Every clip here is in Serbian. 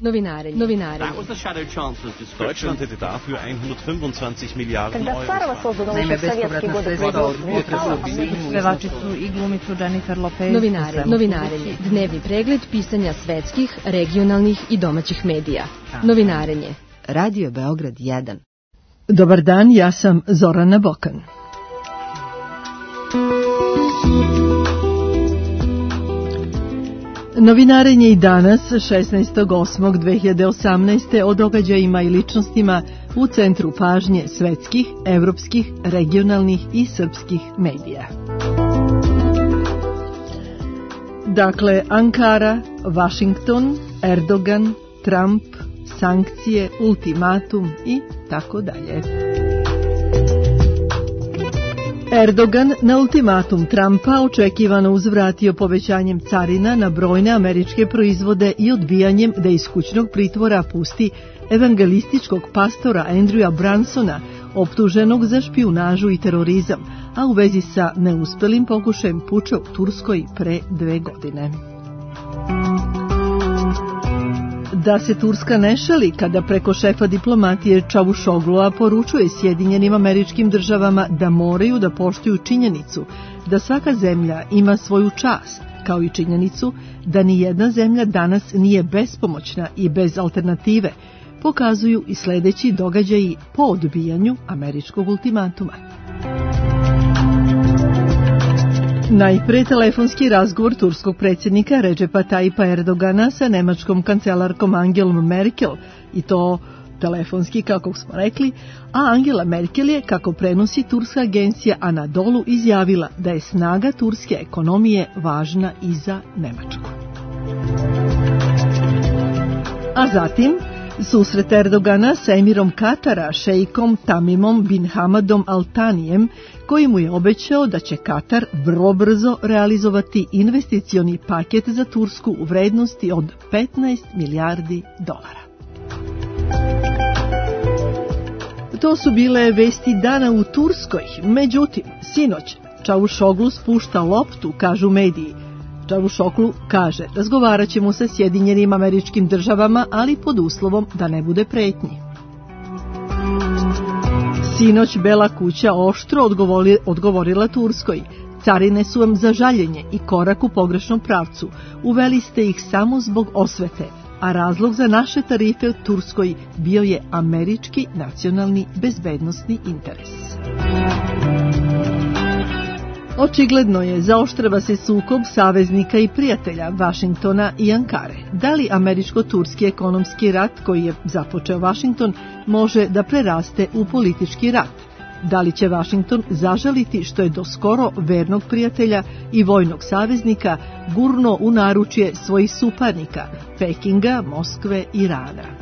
Novinarenje. Deutschland hätte dafür 125 Milliarden Когда Сарова создан Naime, еще в советские bespovratna годы sredstva od upotrebu pevačicu i glumicu Jennifer Lopez. Novinarenje. Dnevni pregled pisanja svetskih, regionalnih i domaćih medija. Novinarenje. Radio Beograd 1. Dobar dan, ja sam Zorana Bokan. Novinarenje i danas, 16.8.2018. o događajima i ličnostima u centru pažnje svetskih, evropskih, regionalnih i srpskih medija. Dakle, Ankara, Washington, Erdogan, Trump, sankcije, ultimatum i tako dalje. Erdogan na ultimatum Trumpa očekivano uzvratio povećanjem carina na brojne američke proizvode i odbijanjem da iz kućnog pritvora pusti evangelističkog pastora Andrewa Brunsona, optuženog za špijunažu i terorizam, a u vezi sa neuspelim pokušajem puča u Turskoj pre 2 godine. Da se Turska ne šali kada preko šefa diplomatije Čavušoglua poručuje Sjedinjenim Američkim Državama da moraju da poštuju činjenicu da svaka zemlja ima svoju čast, kao i činjenicu da ni jedna zemlja danas nije bespomoćna i bez alternative, pokazuju i sledeći događaji po odbijanju američkog ultimatuma. Najpre telefonski razgovor turskog predsjednika Recepa Tayyipa Erdogana sa nemačkom kancelarkom Angelom Merkel, i to telefonski, kako smo rekli, a Angela Merkel je, kako prenosi turska agencija Anadolu, izjavila da je snaga turske ekonomije važna i za Nemačku. A zatim susret Erdogana sa emirom Katara, šejkom Tamimom bin Hamadom Al Thanijem, koji mu je obećao da će Katar vrlo brzo realizovati investicioni paket za Tursku u vrednosti od 15 milijardi dolara. To su bile vesti dana u Turskoj. Međutim, sinoć Čavuşoglu spušta loptu, kažu mediji. Čavuşoglu kaže, razgovarat ćemo sa Sjedinjenim Američkim Državama, ali pod uslovom da ne bude pretnji. Sinoć Bela kuća oštro odgovorila Turskoj. Carine su vam za žaljenje i korak u pogrešnom pravcu. Uveli ste ih samo zbog osvete, a razlog za naše tarife u Turskoj bio je američki nacionalni bezbednosni interes. Očigledno je, zaoštrava se sukob saveznika i prijatelja Vašingtona i Ankare. Da li američko-turski ekonomski rat koji je započeo Vašington može da preraste u politički rat? Da li će Vašington zažaliti što je do skoro vernog prijatelja i vojnog saveznika gurno u naručje svojih suparnika, Pekinga, Moskve i Irana?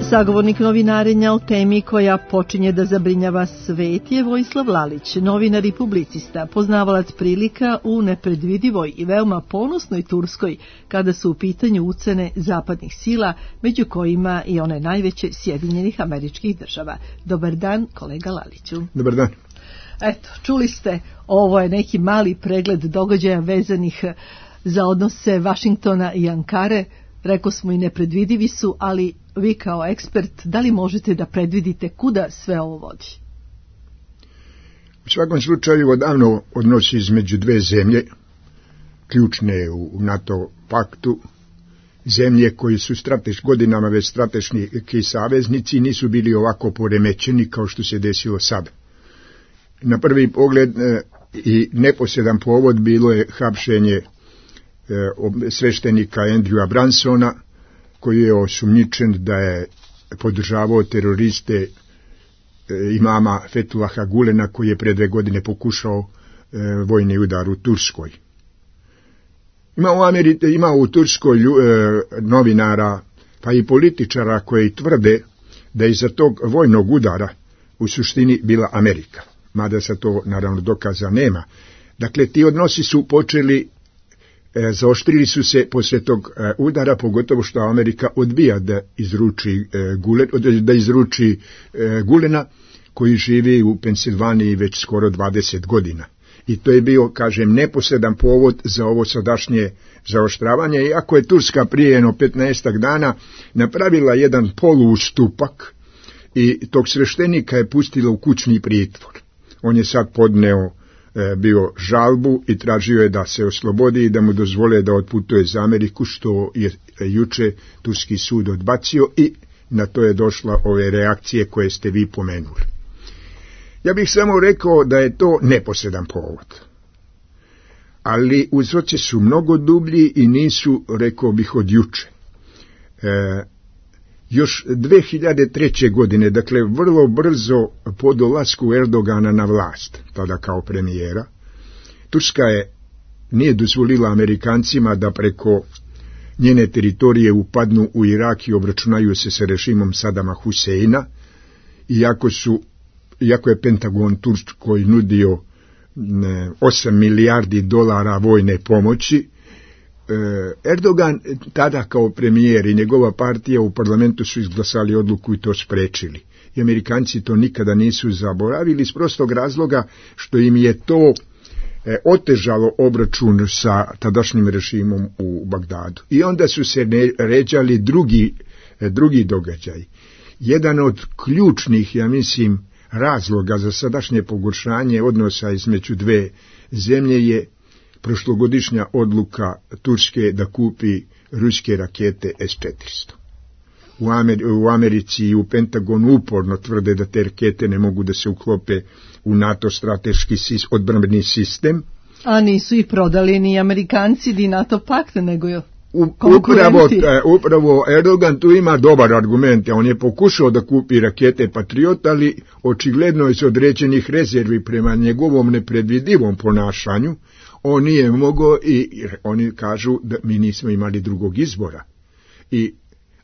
Sagovornik novinarenja o temi koja počinje da zabrinjava svet je Vojislav Lalić, novinar i publicista, poznavalac prilika u nepredvidivoj i veoma ponosnoj Turskoj kada su u pitanju ucene zapadnih sila, među kojima i one najveće Sjedinjenih Američkih Država. Dobar dan, kolega Laliću. Dobar dan. Eto, čuli ste, ovo je neki mali pregled događaja vezanih za odnose Vašingtona i Ankare. Rekao smo i nepredvidivi su, ali vi kao ekspert, da li možete da predvidite kuda sve ovo vodi? U svakom slučaju, odavno odnosi između dve zemlje, ključne u NATO paktu, zemlje koji su godinama već strateški saveznici, nisu bili ovako poremećeni kao što se desilo sada. Na prvi pogled i neposredan povod bilo je hapšenje sveštenika Andrewa Brunsona, koji je osumnjičen da je podržavao teroriste imama Fethullaha Gulena, koji je pre 2 godine pokušao vojni udar u Turskoj. Ima u Turskoj novinara pa i političara koji tvrde da je iza tog vojnog udara u suštini bila Amerika, mada se to naravno dokaza nema. Dakle, ti odnosi su počeli, zaoštrili su se poslije tog udara, pogotovo što Amerika odbija da izruči Gulena, koji živi u Pensilvaniji već skoro 20 godina. I to je bio, kažem, neposredan povod za ovo sadašnje zaoštravanje, iako je Turska prije jedno 15 dana napravila jedan poluustupak i tog sveštenika je pustila u kućni pritvor. On je sad podneo bio žalbu i tražio je da se oslobodi i da mu dozvole da otputuje za Ameriku, što je juče turski sud odbacio i na to je došla ove reakcije koje ste vi pomenuli. Ja bih samo rekao da je to neposredan povod, ali uzroci su mnogo dublji i nisu, rekao bih, od juče. Još 2003. godine, dakle vrlo brzo po dolasku Erdogana na vlast, tada kao premijera, Turska nije dozvolila Amerikancima da preko njene teritorije upadnu u Irak i obračunaju se sa režimom Sadama Huseina, iako je Pentagon Turskoj nudio 8 milijardi dolara vojne pomoći. Erdogan tada kao premijer i njegova partija u parlamentu su izglasali odluku i to sprečili. I Amerikanci to nikada nisu zaboravili iz prostog razloga što im je to otežalo obračun sa tadašnjim režimom u Bagdadu. I onda su se ređali drugi događaj. Jedan od ključnih, ja mislim, razloga za sadašnje pogoršanje odnosa između dve zemlje je prošlogodišnja odluka Turske da kupi ruske rakete S-400. U Americi i u Pentagonu uporno tvrde da te rakete ne mogu da se uklope u NATO strateški odbrambeni sistem. A nisu ih prodali ni Amerikanci ni NATO pakt, nego je Upravo Erdogan tu ima dobar argument. On je pokušao da kupi rakete Patriot, ali očigledno iz određenih rezervi prema njegovom nepredvidivom ponašanju on nije mogao i oni kažu da mi nismo imali drugog izbora.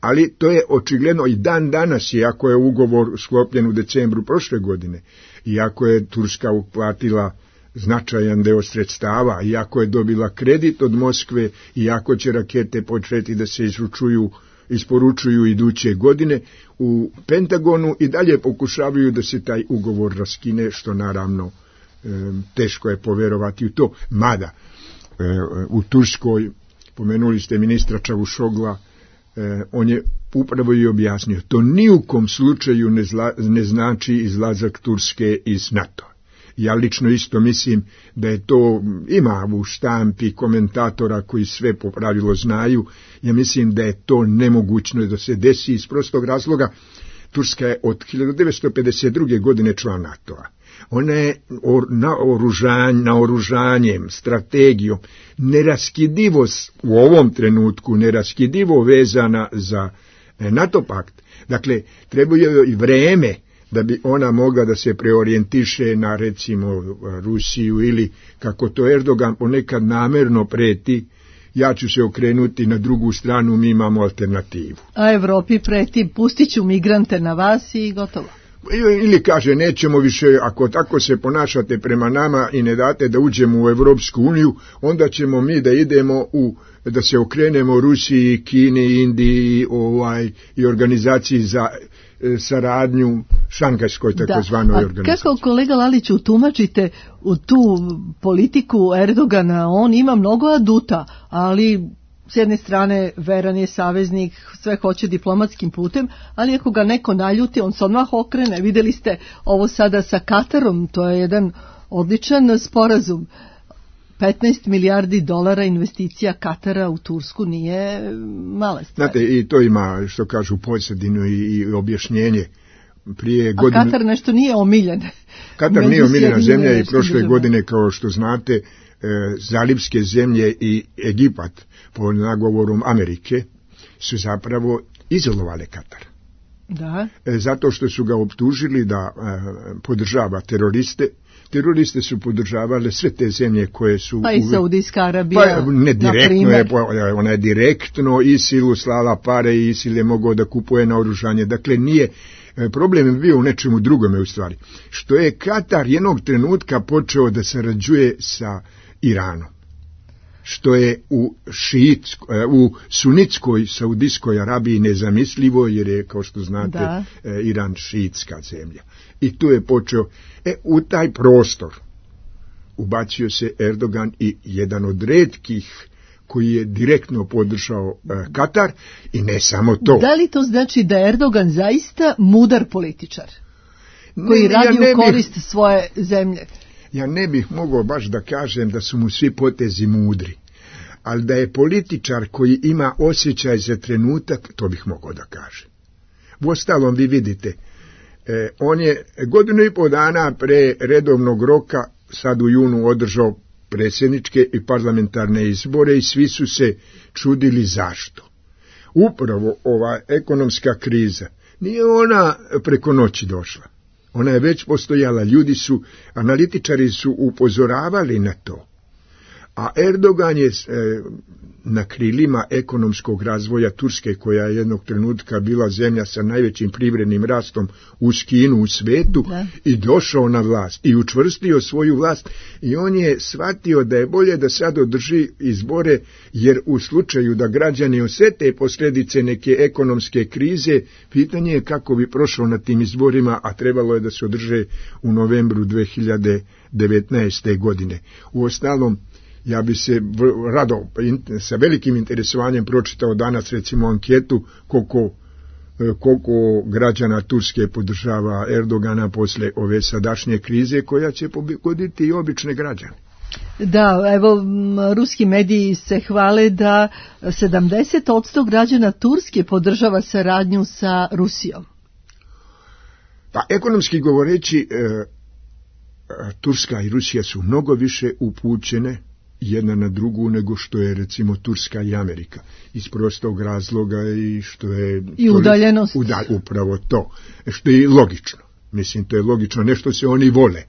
Ali to je očigledno i dan danas, iako je ugovor sklopljen u decembru prošle godine, iako je Turska uplatila značajan deo sredstava, iako je dobila kredit od Moskve, iako će rakete početi da se isporučuju iduće godine, u Pentagonu i dalje pokušavaju da se taj ugovor raskine, što naravno teško je poverovati u to. Mada u Turskoj, pomenuli ste ministra Čavušogla, on je upravo i objasnio, to ni u kom slučaju ne znači izlazak Turske iz NATO. Ja lično isto mislim da je to, ima u štampi komentatora koji sve po pravilu znaju, ja mislim da je to nemogućno da se desi iz prostog razloga. Turska je od 1952. godine član NATO-a. Ona je naoružanjem, strategijom, neraskidivo u ovom trenutku, neraskidivo vezana za NATO pakt. Dakle, treba joj i vreme da bi ona mogla da se preorijentiše na, recimo, Rusiju ili, kako to Erdogan ponekad namerno preti, ja ću se okrenuti na drugu stranu, mi imamo alternativu. A Evropi preti, pustit ću migrante na vas i gotovo. Ili kaže, nećemo više, ako tako se ponašate prema nama i ne date da uđemo u Evropsku uniju, onda ćemo mi da idemo da se okrenemo Rusiji, Kini, Indiji i organizaciji za saradnju, šanghajskoj takozvanoj organizaciji. Kako, kolega Laliću, tumačite u tu politiku Erdogana? On ima mnogo aduta, ali s jedne strane veran je saveznik, sve hoće diplomatskim putem, ali ako ga neko naljuti, on se odmah okrene. Vidjeli ste ovo sada sa Katarom, to je jedan odličan sporazum. 15 milijardi dolara investicija Katara u Tursku nije mala stvar. Znate, i to ima, što kažu, pozadinu i objašnjenje. A Katar nešto nije omiljen. Katar nije omiljena zemlja i prošle godine, kao što znate, zalivske zemlje i Egipat, po nagovorom Amerike, su zapravo izolovale Katar. Da. Zato što su ga optužili da podržava teroriste. Teroriste su podržavale sve te zemlje koje su... Pa i Saudijska Arabija, ne direktno, ona je direktno ISIL-u slala pare i ISIL je mogao da kupuje naoružanje. Dakle, nije... Problem je bio u nečemu drugome u stvari. Što je Katar jednog trenutka počeo da sarađuje sa Iranom. Što je u sunitskoj Saudijskoj Arabiji nezamislivo, jer je, kao što znate, Iran šiitska zemlja. I tu je počeo, u taj prostor ubacio se Erdogan i jedan od retkih koji je direktno podržao Katar, i ne samo to. Da li to znači da je Erdogan zaista mudar političar koji radi u korist svoje zemlje? Ja ne bih mogao baš da kažem da su mu svi potezi mudri, ali da je političar koji ima osjećaj za trenutak, to bih mogao da kažem. Uostalom, vi vidite, on je 1,5 dana pre redovnog roka, sad u junu, održao predsjedničke i parlamentarne izbore i svi su se čudili zašto. Upravo ova ekonomska kriza, nije ona preko noći došla. Ona je već postojala, analitičari su upozoravali na to. A Erdogan je na krilima ekonomskog razvoja Turske, koja je jednog trenutka bila zemlja sa najvećim privrednim rastom uz Kinu u svetu, i došao na vlast i učvrstio svoju vlast, i on je shvatio da je bolje da sad održi izbore, jer u slučaju da građani osjete posljedice neke ekonomske krize, pitanje je kako bi prošao na tim izborima, a trebalo je da se održe u novembru 2019. godine. Uostalom, ja bi se rado sa velikim interesovanjem pročitao danas recimo anketu koliko građana Turske podržava Erdogana posle ove sadašnje krize, koja će pogoditi i obične građane. Da, evo, ruski mediji se hvale da 70% građana Turske podržava saradnju sa Rusijom. Pa ekonomski govoreći, Turska i Rusija su mnogo više upućene jedna na drugu nego što je recimo Turska i Amerika, iz prostog razloga i što je i udaljenost. Upravo to, što je logično. Mislim, to je logično, nešto se oni vole,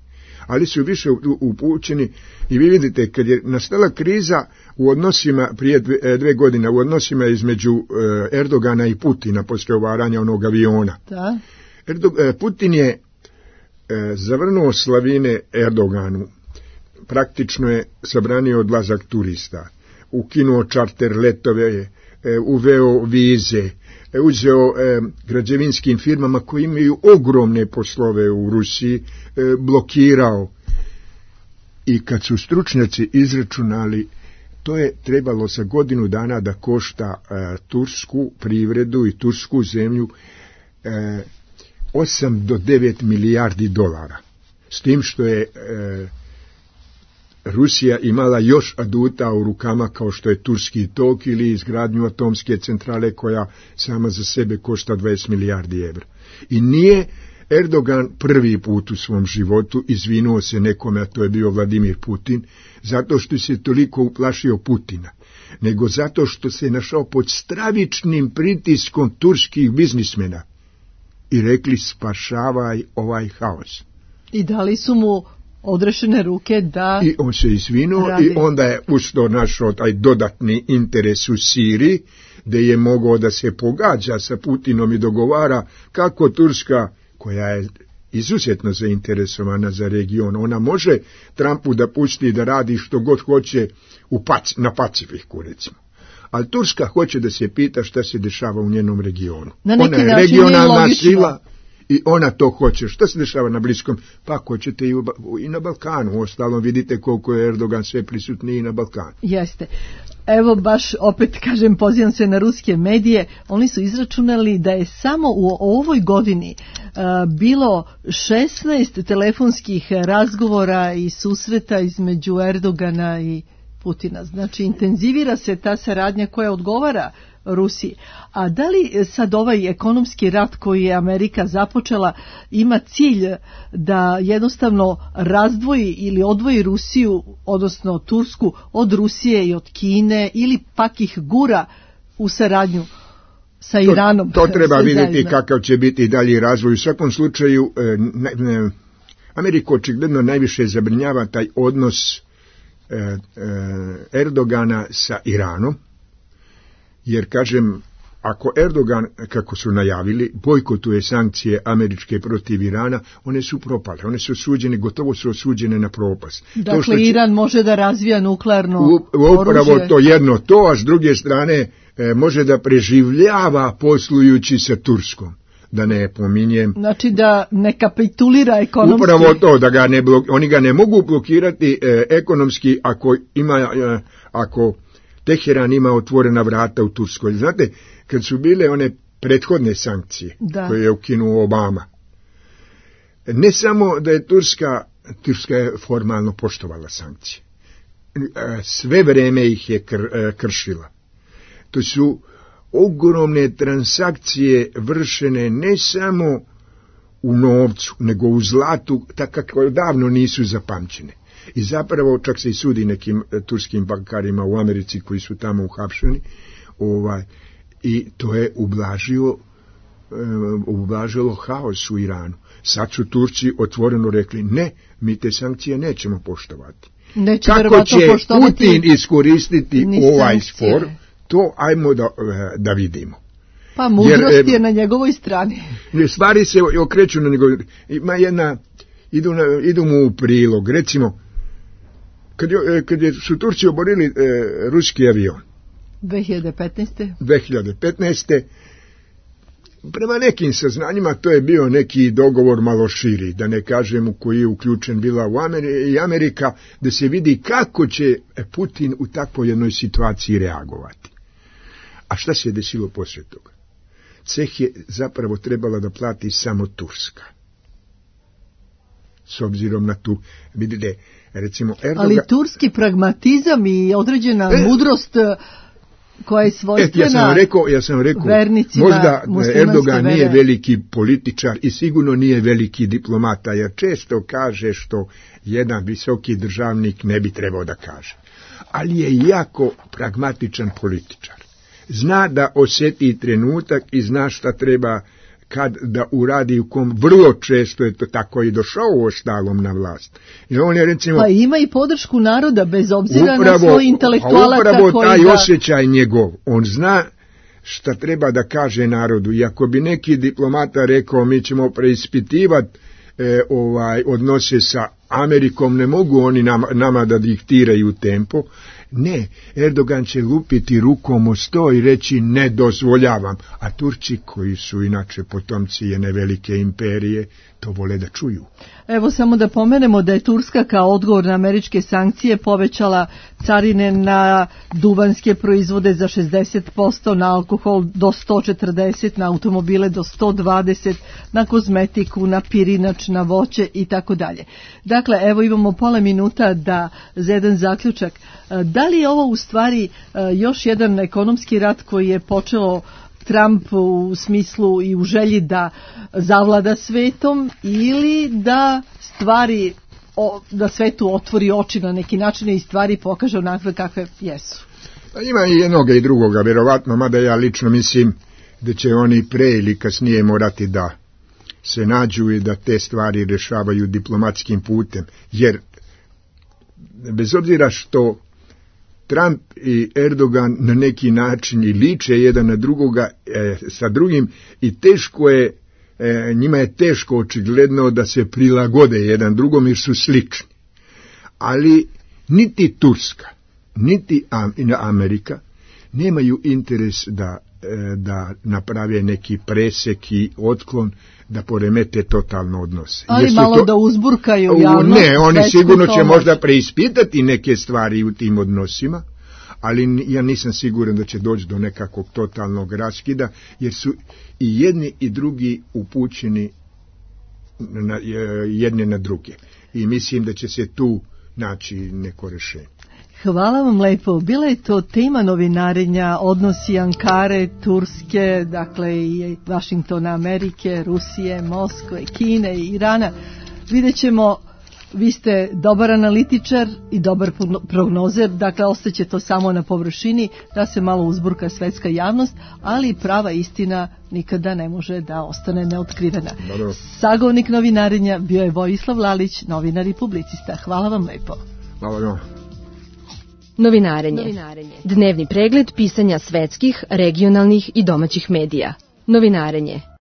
ali su više upućeni. I vi vidite, kad je nastala kriza u odnosima prije 2 godine, u odnosima između Erdogana i Putina poslije ovaranja onog aviona, da. Putin je zavrnuo slavine Erdoganu, praktično je zabranio odlazak turista, ukinuo čarter letove, uveo vize, uzeo građevinskim firmama koji imaju ogromne poslove u Rusiji, blokirao. I kad su stručnjaci izračunali, to je trebalo za godinu dana da košta tursku privredu i tursku zemlju 8 do 9 milijardi dolara. S tim što je Rusija imala još aduta u rukama, kao što je Turski tok ili izgradnju atomske centrale, koja sama za sebe košta 20 milijardi evra. I nije Erdogan prvi put u svom životu izvinuo se nekome, a to je bio Vladimir Putin, zato što se toliko uplašio Putina, nego zato što se našao pod stravičnim pritiskom turskih biznismena i rekli: spašavaj ovaj haos. I dali su mu odrešene ruke da i on se izvinuo radi. I onda je usto našao taj dodatni interes u Siriji, gdje je mogao da se pogađa sa Putinom i dogovara kako Turska, koja je izuzetno zainteresovana za region, ona može Trumpu da pusti da radi što god hoće na Pacifiku, recimo. Ali Turska hoće da se pita šta se dešava u njenom regionu. Ona je regionalna sila i ona to hoće. Šta se dešava na Bliskom? Pa hoćete i na Balkanu. Uostalom vidite koliko je Erdogan sve prisutniji na Balkanu. Jeste. Evo baš opet kažem, pozivam se na ruske medije, oni su izračunali da je samo u ovoj godini bilo 16 telefonskih razgovora i susreta između Erdogana i Putina. Znači, intenzivira se ta saradnja koja odgovara Rusiji. A da li sad ovaj ekonomski rat koji je Amerika započela ima cilj da jednostavno razdvoji ili odvoji Rusiju, odnosno Tursku, od Rusije i od Kine, ili pak ih gura u saradnju sa Iranom? To treba vidjeti kakav će biti dalji razvoj. U svakom slučaju Ameriku očigledno najviše zabrinjava taj odnos Erdogana sa Iranom, jer kažem, ako Erdogan, kako su najavili, bojkotuje sankcije američke protiv Irana, one su propale, one su osuđene, gotovo su osuđene na propast. Dakle, Iran može da razvija nuklearno upravo oružje. To jedno to, a s druge strane može da preživljava poslujući sa Turskom. da ne pominjem. Znači da ne kapitulira ekonomski. Upravo to, da ga oni ga ne mogu blokirati ekonomski ako Teheran ima otvorena vrata u Turskoj. Znate, kad su bile one prethodne sankcije koje je ukinuo Obama, ne samo da je Turska je formalno poštovala sankcije. Sve vreme ih je kršila. To su ogromne transakcije vršene ne samo u novcu, nego u zlatu, tako kako davno nisu zapamćene. I zapravo čak se i sudi nekim turskim bankarima u Americi koji su tamo uhapšeni, i to je ublažilo haos u Iranu. Sad su Turci otvoreno rekli, ne, mi te sankcije nećemo poštovati. Kako će Putin iskoristiti ovaj spor, to ajmo da vidimo. Pa mudrost je na njegovoj strani. Stvari se okreću na njegovoj. Ima idu mu u prilog. Recimo, kad su Turci oborili ruski avion 2015. Prema nekim saznanjima to je bio neki dogovor malo širi, da ne kažem u koji je uključen bila i Amerika, da se vidi kako će Putin u takvoj jednoj situaciji reagovati. A šta se je desilo poslije toga? Ceh je zapravo trebala da plati samo Turska. S obzirom na tu, vidite, recimo Erdogan... Ali turski pragmatizam i određena mudrost koja je svojstvena ja sam rekao, vernicima možda Erdogan nije veliki političar i sigurno nije veliki diplomata, jer često kaže što jedan visoki državnik ne bi trebao da kaže. Ali je jako pragmatičan političar. Zna da osjeti trenutak i zna šta treba kad da uradi, u kom vrlo često je to tako i došao ostalom na vlast. I on je, recimo, pa ima i podršku naroda bez obzira na svoj intelektualaca. Upravo taj osjećaj njegov, on zna šta treba da kaže narodu. I ako bi neki diplomata rekao mi ćemo preispitivati odnose sa Amerikom, ne mogu oni nama da diktiraju tempo. Ne, Erdogan će lupiti rukom o sto i reći ne dozvoljavam, a Turci koji su inače potomci jedne velike imperije to vole da čuju. Evo samo da pomenemo da je Turska kao odgovor na američke sankcije povećala carine na duvanske proizvode za 60%, na alkohol do 140%, na automobile do 120%, na kozmetiku, na pirinač, na voće i tako dalje. Dakle, evo imamo pola minuta za jedan zaključak. Da li je ovo u stvari još jedan ekonomski rat koji je počeo Trump u smislu i u želji da zavlada svetom, ili da da svetu otvori oči na neki način i stvari pokaže onakve kakve jesu? Ima i jednoga i drugoga, vjerovatno, mada ja lično mislim da će oni pre ili kasnije morati da se nađu i da te stvari rešavaju diplomatskim putem, jer bez obzira što Trump i Erdogan na neki način i liče jedan na drugoga sa drugim i teško je, njima je teško očigledno da se prilagode jedan drugom jer su slični. Ali niti Turska, niti Amerika nemaju interes da naprave neki presek i otklon, da poremete totalno odnose. Ali malo da uzburkaju javnost. Ne, oni sigurno će možda preispitati neke stvari u tim odnosima, ali ja nisam siguran da će doći do nekakvog totalnog raskida, jer su i jedni i drugi upućeni jedne na druge. I mislim da će se tu naći neko rješenje. Hvala vam lepo. Bila je to tema novinarenja, odnosi Ankare, Turske, dakle i Vašingtona, Amerike, Rusije, Moskve, Kine i Irana. Vidjet ćemo, vi ste dobar analitičar i dobar prognozer, dakle ostaće to samo na površini, da se malo uzburka svetska javnost, ali prava istina nikada ne može da ostane neotkrivena. Sagovornik novinarenja bio je Vojislav Lalić, novinar i publicista. Hvala vam lepo. Hvala vam. Novinarenje. Dnevni pregled pisanja svetskih, regionalnih i domaćih medija. Novinarenje.